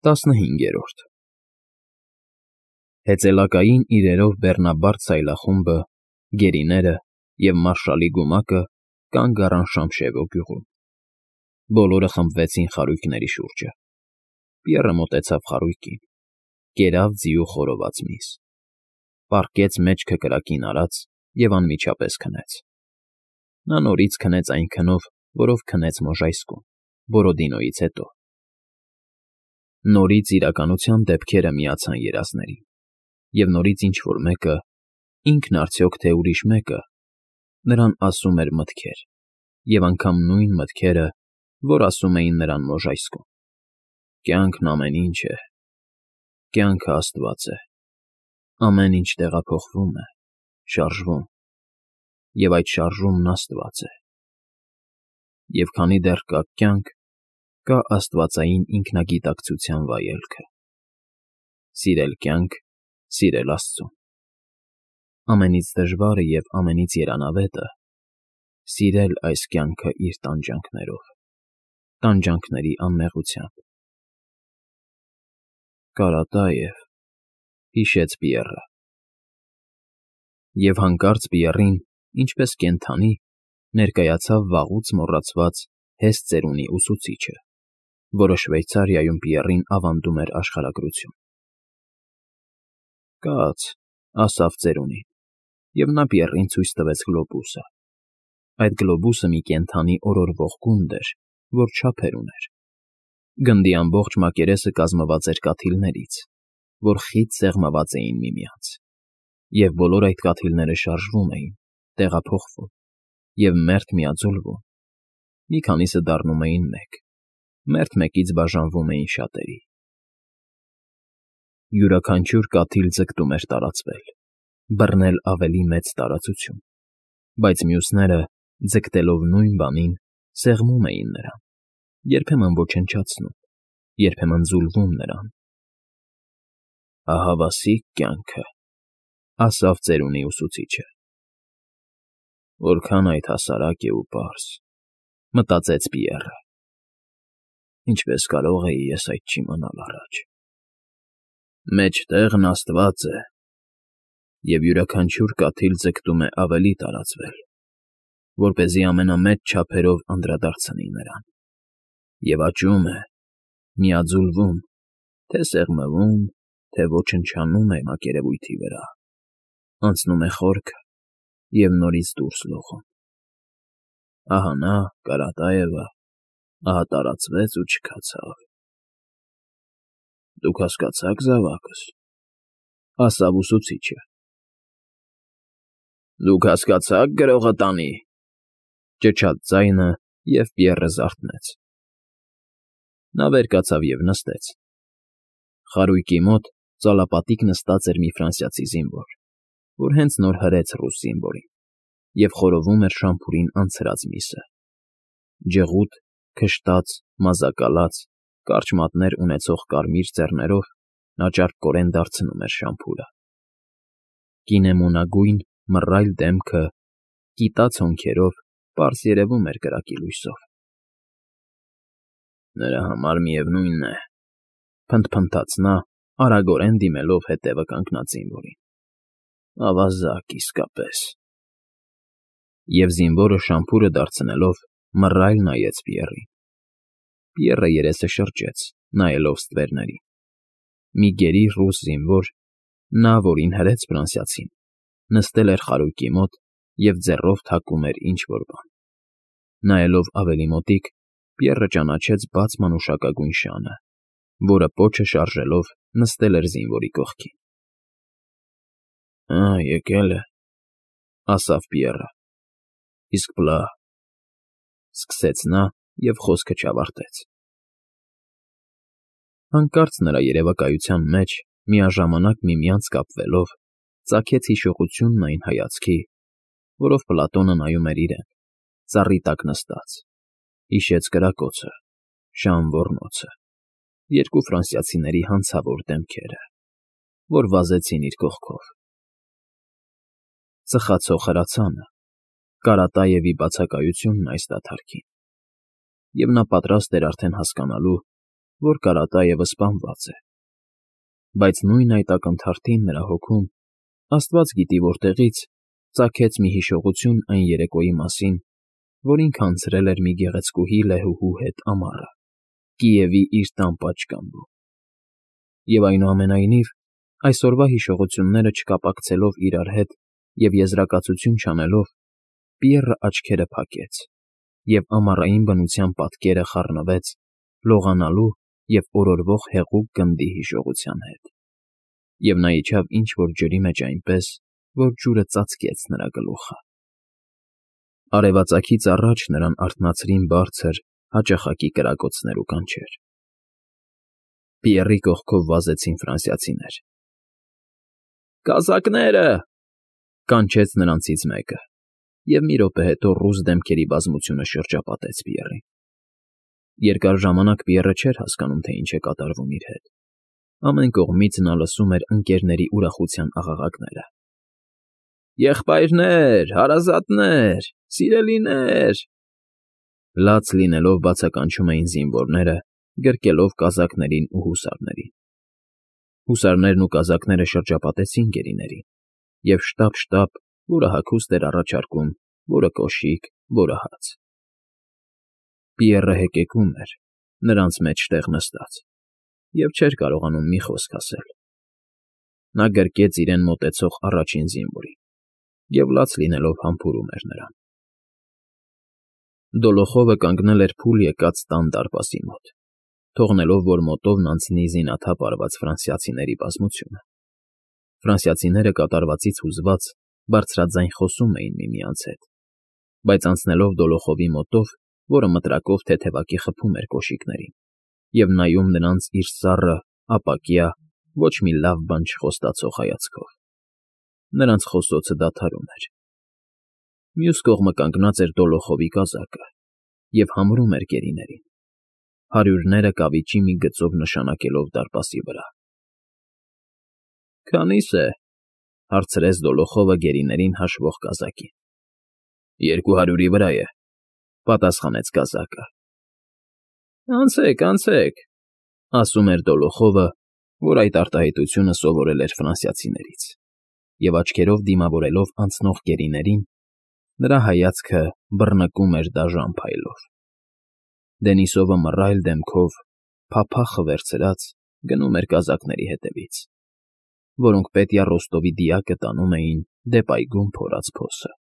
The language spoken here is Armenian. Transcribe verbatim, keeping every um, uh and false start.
Տասնհինգերորդ Հեծելակային իրերով բեռնաբարդ սայլախումբը, գերիները և մարշալի գումակը կանգ առան Շամշևո գյուղում. բոլորը խմբվեցին խարույկների շուրջը. Պիեռը մոտեցավ խարույկին, կերավ ձիու խորոված միս, պառկեց մեջքը կրակին արած և անմիջապես քնեց. նա նորից քնեց այն քնով, որով քնեց Մոժայսկում, Բորոդինոյից հետո. նորից իրականության դեպքերը միացան երազներին, և նորից ինչ֊որ մեկը, ինքն արդյոք թե ուրիշ մեկը, նրան ասում էր մտքեր, և անգամ նույն մտքերը, որ ասում էին նրան Մոժայսկում. «Կյանքն ամեն ինչ է, կյանքը աստված է, ամեն ինչ տեղափոխվում է, շարժվում, և այդ շարժումն աստված է, և քանի դեռ կա կյանք, կա աստվածային ինքնագիտակցության վայելքը. սիրել կյանք, սիրել աստծուն, ամենից դժվարը և ամենից երանավետը՝ սիրել այս կյանքը իր տանջանքներով, տանջանքների անմեղությամբ»։ «Կարատաև», հիշեց Պիեռը։ Եվ հանկարծ Պիեռին, ինչպես կենդանի, ներկայացավ վաղուց մոռացված հես ծերունի ուսուցիչը, որը Շվեյցարիայում Պիեռին ավանդում էր աշխարհագրություն։ «Կաց», ասավ ծերունին, և նա Պիեռին ցույց տվեց գլոբուսը. այդ գլոբուսը մի կենդանի օրորվող գունդ էր, որ չափեր ուներ։ Գնդի ամբողջ մակերեսը կազմված էր կաթիլներից, որ խիտ սեղմված էին միմյանց, և բոլոր այդ կաթիլները շարժվում էին, տեղափոխվում և մերթ միաձուլվում, մի քանիսը դառնում էին մեկ, մերթ մեկից բաժանվում էին շատերի։ Յուրաքանչյուր կաթիլ ձգտում էր տարածվել, բռնել ավելի մեծ տարածություն, բայց մյուսները, ձգտելով նույն բանին, սեղմում էին նրան, երբեմն ոչնչացնում, երբեմն ձուլվում նրան։ «Ահավասիկ կյանքը», ասավ ծերունի ուսուցիչը։ «Որքան այդ հասարակ է ու պարզ», մտածեց Պիեռը։ «Ինչպես կարող էի ես այդ չիմանալ առաջ։ Մեջտեղն աստված է, և յուրաքանչյուր կաթիլ ձգտում է ավելի տարածվել, որպեսզի ամենամեծ չափերով անդրադարձնի նրան, և աճում է, միաձուլվում, թե սեղմվում, թե ոչնչանում է մակերևույթի վրա, անցնում է խորքը և նորից դուրս լողում։ Ահա նա, Կարատաևը, ահա տարածվեց ու չքացավ։ Դուք հասկացա՞ք զավակս», ասավ ուսուցիչը։ «Դուք հասկացա՞ք գրողը տանի», ճչաց ձայնը, և Պիեռը զարթնեց։ Նա վեր կացավ և նստեց։ Խարույկի մոտ ծալապատիկ նստած էր մի ֆրանսիացի զինվոր, որ հենց նոր հրեց ռուս զինվորին, և խորովում էր շամփուրին անցրած միսը։ Ջղուտ, քշտած, մազակալած, կարճ մատներ ունեցող կարմիր ծեռներով նա ճարպկորեն դարձնում էր շամփուրը։ Կինեմոնագույն, մռայլ դեմքը, կիտաց հոնքերով պարզ երևում էր կրակի լույսով։ «Նրա համար միևնույն է», փնթփնթաց նա, արագորեն դիմելով հետևը կանգնած զինվորին։ «Ավազակ իսկապես»։ Եվ զինվորը շամփուրը դարձնելով մռայլ նայեց Պիեռին։ Պիեռը երեսը շրջեց, նայելով ստվերներին։ Մի գերի ռուս զինվոր, նա, որին հրեց ֆրանսիացին, նստել էր խարույկի մոտ և ձեռով թակում էր ինչ֊որ բան։ Նայելով ավելի մոտիկ, Պիեռը ճանաչեց բաց մանուշակագույն շանը, որը պոչը շարժելով նստել էր զինվորի կողքին։ «Ա, եկել է», ասավ Պիեռը։ «Իսկ պլա…»։ Սկսեց նա և խոսքը չավարտեց։ Հանկարծ նրա երևակայության մեջ, միաժամանակ միմյանց կապվելով, ծագեց հիշողությունն այն հայացքի, որով Պլատոնը նայում էր իրեն, ծառի տակ նստած, հիշեց կրակոցը, Ժան Ոռնոցը, երկու ֆրանսիացիների հանցավոր դեմքերը, որ վազեցին իր կողքով, ծխացող հրացանը, Կարատաևի բացակայությունն այս դադարքին, և նա պատրաստ էր արդեն հասկանալու, որ Կարատաևը սպանված է։ Բայց նույն այդ ակնթարթին նրա հոգում, աստված գիտի որտեղից, ծագեց մի հիշողություն այն երեկոյի մասին, որ ինքը անցրել էր մի գեղեցկուհի լեհուհու հետ ամառը, Կիևի իր տան պատշգամբում։ Եվ այնուամենայնիվ, այսօրվա հիշողությունները չկապակցելով իրար հետ և եզրակացություն չանելով, Պիեռը աչքերը փակեց, և ամառային բնության պատկերը խառնվեց լողանալու և օրորվող հեղուկ գնդի հիշողության հետ, և նա իջավ ինչ֊որ ջրի մեջ այնպես, որ ջուրը ծածկեց նրա գլուխը։ Արևածագից առաջ նրան արթնացրին բարձր, հաճախակի կրակոցներ ու կանչեր։ Պիեռի կողքով վազեցին ֆրանսիացիներ։ «Կազակները!» կանչեց նրանցից մեկը, և մի րոպե հետո ռուս դեմքերի բազմությունը շրջապատեց Պիեռին։ Երկար ժամանակ Պիեռը չէր հասկանում, թե ինչ է կատարվում իր հետ։ Ամեն կողմից նա լսում էր ընկներների ուրախության աղաղակները. «Եղբայրներ, հարազատներ, սիրելիներ…» Լաց լինելով բացականչում էին զինվորները, գրկելով կազակներին ու հուսարներին։ Հուսարներն ու կազակները շրջապատեցին գերիներին, և շտապ֊շտապ, որը հագուստ էր առաջարկում, որը կոշիկ, որը հաց։ Պիեռը հեկեկում էր, նրանց մեջտեղ նստած, և չէր կարողանում մի խոսք ասել։ Նա գրկեց իրեն մոտեցող առաջին զինվորին և լաց լինելով համբուրում էր նրան։ Դոլոխովը կանգնել էր փուլ եկած տան դարպասի մոտ, թողնելով, որ մոտովն անցնի զինաթափ արված ֆրանսիացիների բազմությունը։ Ֆրանսիացիները կատարվածից հուզված բարձրաձայն խոսում էին միմյանց հետ, բայց անցնելով Դոլոխովի մոտով, որը մտրակով թեթևակի խփում էր կոշիկներին, և նայում նրանց իր սառը, ապակյա, ոչ մի լավ բան չխոստացող հայացքով, նրանց խոսոցը դադարում էր։ Մյուս կողմը կանգնած էր Դոլոխովի կազակը և համրում էր գերիներին, հարյուրները կավիճի մի գծով նշանակելով դարպասի վրա։ ֊ Քանի՞ս է,֊ հարցրեց Դոլոխովը գերիներին հաշվող կազակին։ ֊ Երկու հարյուրի վրա է,֊ պատասխանեց կազակը։ ֊ Անցեք, անցեք,֊ ասում էր Դոլոխովը, որ այդ արտահայտությունը սովորել էր ֆրանսիացիներից, և աչքերով դիմավորելով անցնող գերիներին, նրա հայացքը բռնկում էր դաժան փայլով։ Դենիսովը մռայլ դեմքով, փափախը վերցրած, գնում էր կազակների հետևից, որոնք Պետյա Ռոստովի դիակը տանում էին դեպ այգում փորած փոսը։